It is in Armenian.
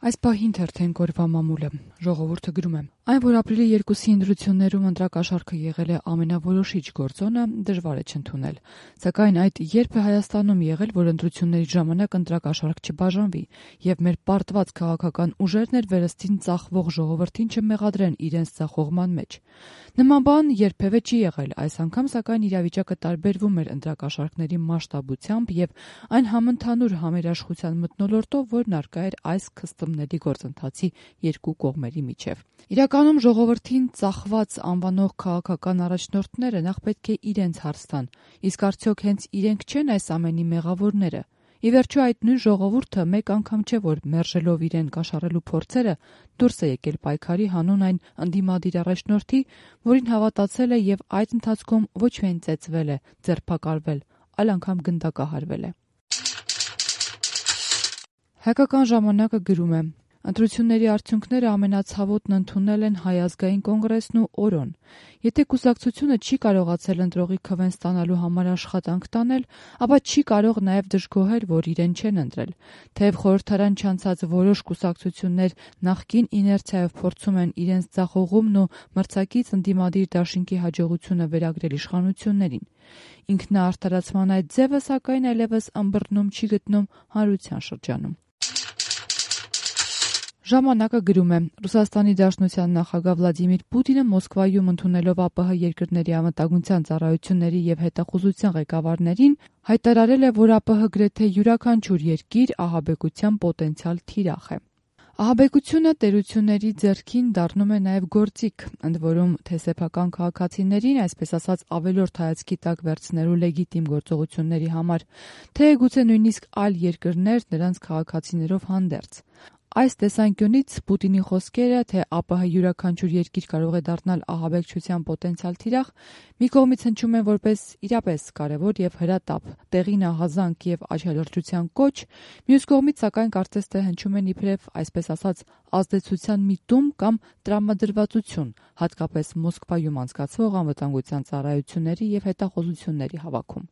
Այս պահին թերթենք օրվա մամուլը։ Ժողովուրդը գրում է. այն, որ ապրիլի 2-ի ընտրություններում ընտրակաշառքը եղել է ամենավորոշիչ գործոնը, դժվար է չընդունել։ Սակայն այդ երբ է Հայաստանում եղել, որ ընտրությունների ժամանակ ընտրակաշառք չբաժանվի, եւ մեր պարտված քաղաքական ուժերն էլ վերստին ծախվող ժողովրդին չմեղադրեն իրենց ծախողման մեջ։ Նման բան երբևէ չի եղել, այս անգամ սակայն իրավիճակը տարբերվում էր ընտրակաշառքների մասշտաբությամբ եւ այն համընդհանուր համերաշխության մթնոլորտով, որն առկա էր այս քստումների գործընթացի երկու կողմերի միջև։ Իրականում ժողովրդին ծախված անվանող քաղաքական առաջնորդները նախ պետք է իրենց հարց տան, իսկ արդյոք հենց իրենք չեն այս ամենի մեղավորները։ Ի վերջո այդ նույն ժողովուրդը մեկ անգամ չէ, որ մերժելով իրեն կաշառելու փորձերը դուրս է եկել պայքարի հանուն այն ընդդիմադիր առաջնորդի, որին հավատացել է եւ այդ ընթացքում ոչ միայն ծեծվել է, ձերբակալվել, այլ անգամ գնդակահարվել է։ Հայկական ժամանակը գրում է. ընտրությունների արդյունքները ամենացավոտն ընդունել են Հայ ազգային կոնգրեսն ու ՕՐՈ-ն։ Եթե կուսակցությունը չի կարողացել ընտրողի քվեն ստանալու համար աշխատանք տանել, ապա չի կարող նաև դժգոհել, որ իրեն չեն ընտրել։ Թեև խորհրդարան չանցած որոշ կուսակցություններ նախկին իներցիայով փորձում են իրենց ձախողումն ու մրցակից ընդդիմադիր դաշինքի հաջողությունը վերագրել իշխանություններին։ Ինքնաարդարացման այդ ձևը սակայն այլևս ըմբռնում չի գտնում հանրության շրջանում։ Ժամանակը գրում է. Ռուսաստանի Դաշնության նախագահ Վլադիմիր Պուտինը Մոսկվայում ընդունելով ԱՊՀ երկրների անվտանգության ծառայությունների եւ հետախուզության ղեկավարներին հայտարարել է, որ ԱՊՀ գրեթե յուրաքանչյուր երկիր ահաբեկության պոտենցիալ թիրախ է։ Ահաբեկությունը տերությունների ձեռքին դառնում է նաև գործիք, ընդ որում թե սեփական քաղաքացիներին, այսպես ասած, ավելորդ հայացքի տակ վերցնելու լեգիտիմ գործողությունների համար, թե գուցե նույնիսկ այլ երկրներ նրանց քաղաքացիներով հանդերձ։ Այս տեսանկյունից Պուտինի խոսքերը, թե ԱՊՀ յուրաքանչյուր երկիր կարող է դառնալ ահաբեկչության պոտենցիալ թիրախ, մի կողմից հնչում են որպես իրապես կարևոր եւ հրատապ, տեղին ահազանգ եւ աչալրջության կոչ, մյուս կողմից սակայն կարծես թե հնչում են իբրև, այսպես ասած, ազդեցության միտում կամ տրամադրվածություն, հատկապես Մոսկվայում անցկացվող անվտանգության ծառայությունների եւ հետախուզությունների հավաքում։